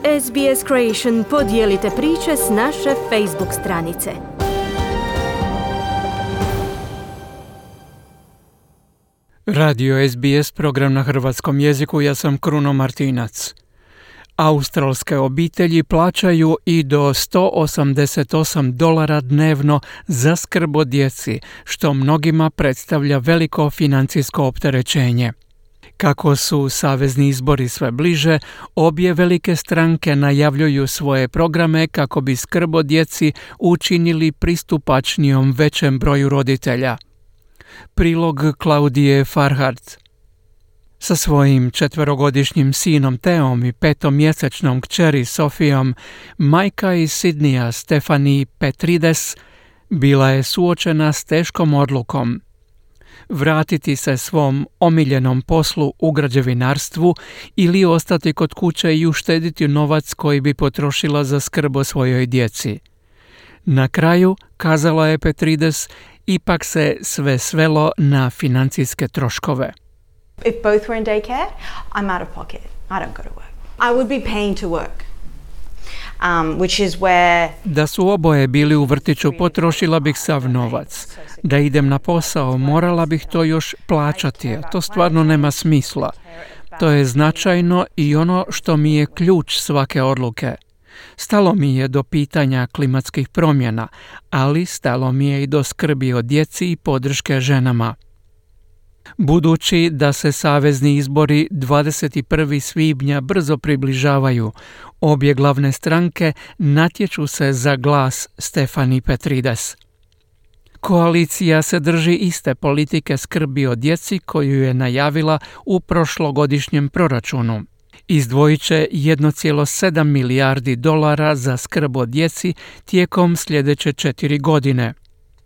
SBS Creation podijelite priče s naše Facebook stranice. Radio SBS, program na hrvatskom jeziku, ja sam Kruno Martinac. Australske obitelji plaćaju i do $188 dnevno za skrb o djeci, što mnogima predstavlja veliko financijsko opterećenje. Kako su savezni izbori sve bliže, obje velike stranke najavljuju svoje programe kako bi skrb o djeci učinili pristupačnijom većem broju roditelja. Prilog Klaudije Farhart. Sa svojim 4-godišnjim sinom Teom i 5-mjesečnom kćeri Sofijom, majka iz Sidneja Stephanie Petrides bila je suočena s teškom odlukom. Vratiti se svom omiljenom poslu u građevinarstvu ili ostati kod kuće i uštediti novac koji bi potrošila za skrb o svojoj djeci. Na kraju, kazala je Petrides, ipak se sve svelo na financijske troškove. If both were in daycare, I'm out of pocket. I don't go to work. I would be paying to work. Which is where... Da su oboje bili u vrtiću, potrošila bih sav novac. Da idem na posao, morala bih to još plaćati, a to stvarno nema smisla. To je značajno i ono što mi je ključ svake odluke. Stalo mi je do pitanja klimatskih promjena, ali stalo mi je i do skrbi o djeci i podrške ženama. Budući da se savezni izbori 21. svibnja brzo približavaju, obje glavne stranke natječu se za glas Stephanie Petrides. Koalicija se drži iste politike skrbi o djeci koju je najavila u prošlogodišnjem proračunu. Izdvojit će $1,7 milijardi za skrb o djeci tijekom sljedeće 4 godine.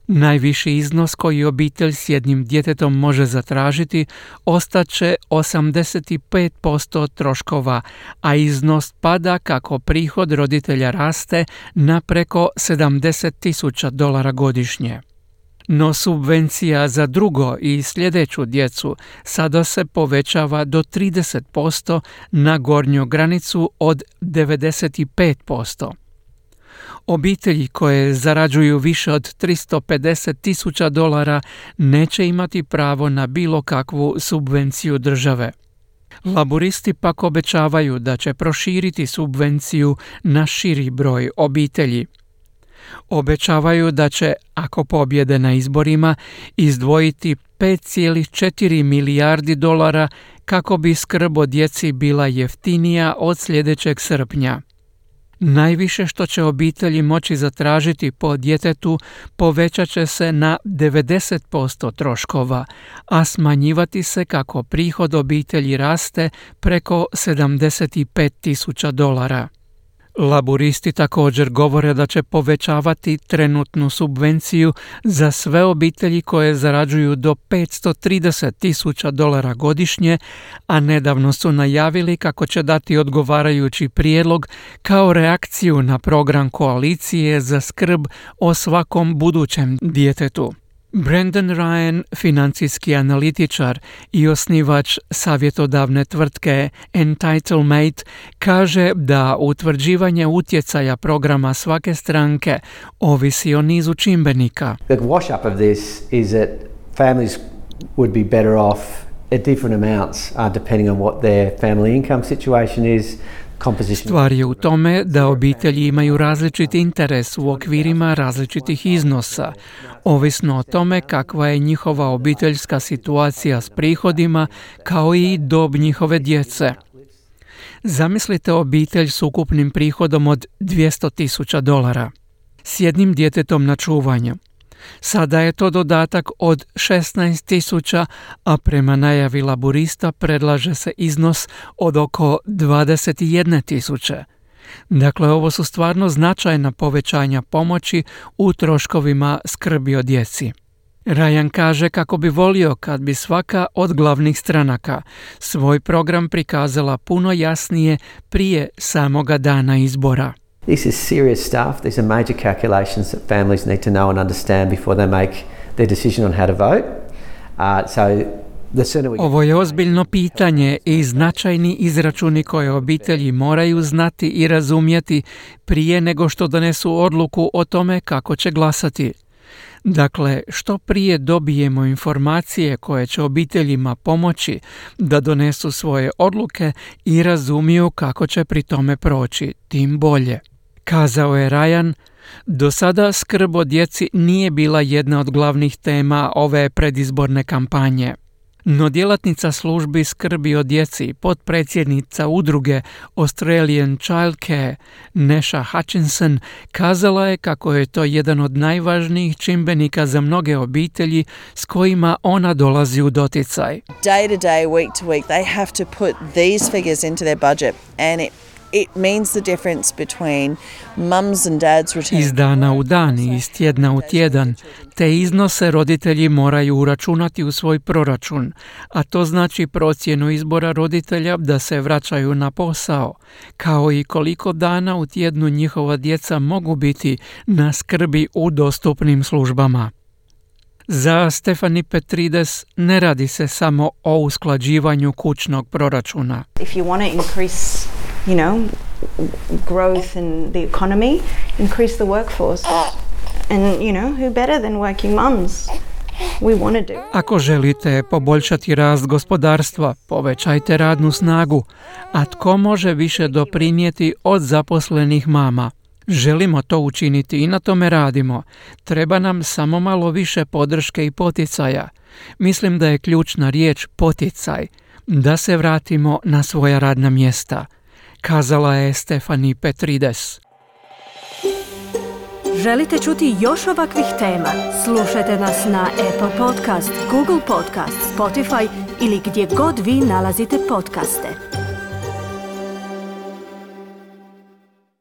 Najviši iznos koji obitelj s jednim djetetom može zatražiti ostaće 85% troškova, a iznos pada kako prihod roditelja raste na preko $70,000 godišnje. No subvencija za drugo i sljedeću djecu sada se povećava do 30% na gornju granicu od 95%. Obitelji koje zarađuju više od $350,000 neće imati pravo na bilo kakvu subvenciju države. Laburisti pak obećavaju da će proširiti subvenciju na širi broj obitelji. Obećavaju da će, ako pobjede na izborima, izdvojiti $5,4 milijardi kako bi skrb o djeci bila jeftinija od sljedećeg srpnja. Najviše što će obitelji moći zatražiti po djetetu povećat će se na 90% troškova, a smanjivati se kako prihod obitelji raste preko $75,000. Laburisti također govore da će povećavati trenutnu subvenciju za sve obitelji koje zarađuju do $530,000 godišnje, a nedavno su najavili kako će dati odgovarajući prijedlog kao reakciju na program koalicije za skrb o svakom budućem djetetu. Brendan Ryan, financijski analitičar i osnivač savjetodavne tvrtke Entitlemate, kaže da utvrđivanje utjecaja programa svake stranke ovisi o nizu čimbenika. The wash up of this is that families would be better off at different amounts depending on what their family income situation is. Stvar je u tome da obitelji imaju različit interes u okvirima različitih iznosa, ovisno o tome kakva je njihova obiteljska situacija s prihodima, kao i dob njihove djece. Zamislite obitelj s ukupnim prihodom od $200,000, s jednim djetetom na čuvanju. Sada je to dodatak od $16,000, a prema najavi laburista predlaže se iznos od oko $21,000. Dakle, ovo su stvarno značajna povećanja pomoći u troškovima skrbi o djeci. Ryan kaže kako bi volio kad bi svaka od glavnih stranaka svoj program prikazala puno jasnije prije samoga dana izbora. This is serious stuff. These are major calculations that families need to know and understand before they make their decision on how to vote. So Ovo je ozbiljno pitanje i značajni izračuni koje obitelji moraju znati i razumjeti prije nego što donesu odluku o tome kako će glasati. Dakle, što prije dobijemo informacije koje će obiteljima pomoći da donesu svoje odluke i razumiju kako će pri tome proći, tim bolje. Kazao je Ryan, do sada skrb o djeci nije bila jedna od glavnih tema ove predizborne kampanje. No djelatnica službi skrbi o djeci, potpredsjednica udruge Australian Child Care, Nesha Hutchinson, kazala je kako je to jedan od najvažnijih čimbenika za mnoge obitelji s kojima ona dolazi u doticaj. Day to day, week to week, they have to put these figures into their budget and it means the difference between mums and dads return. Iz dana u dan i iz tjedna u tjedan te iznose roditelji moraju uračunati u svoj proračun, a to znači procjenu izbora roditelja da se vraćaju na posao, kao i koliko dana u tjednu njihova djeca mogu biti na skrbi u dostupnim službama. Za Stephanie Petrides ne radi se samo o usklađivanju kućnog proračuna. If you want to increase, growth in the economy, increase the workforce. And, who better than working mums? We want to do. Ako želite poboljšati rast gospodarstva, povećajte radnu snagu. A tko može više doprinijeti od zaposlenih mama? Želimo to učiniti i na tome radimo. Treba nam samo malo više podrške i poticaja. Mislim da je ključna riječ poticaj, da se vratimo na svoja radna mjesta, kazala je Stephanie Petrides. Želite čuti još ovakvih tema? Slušajte nas na Apple Podcast, Google Podcast, Spotify ili gdje god vi nalazite podcaste.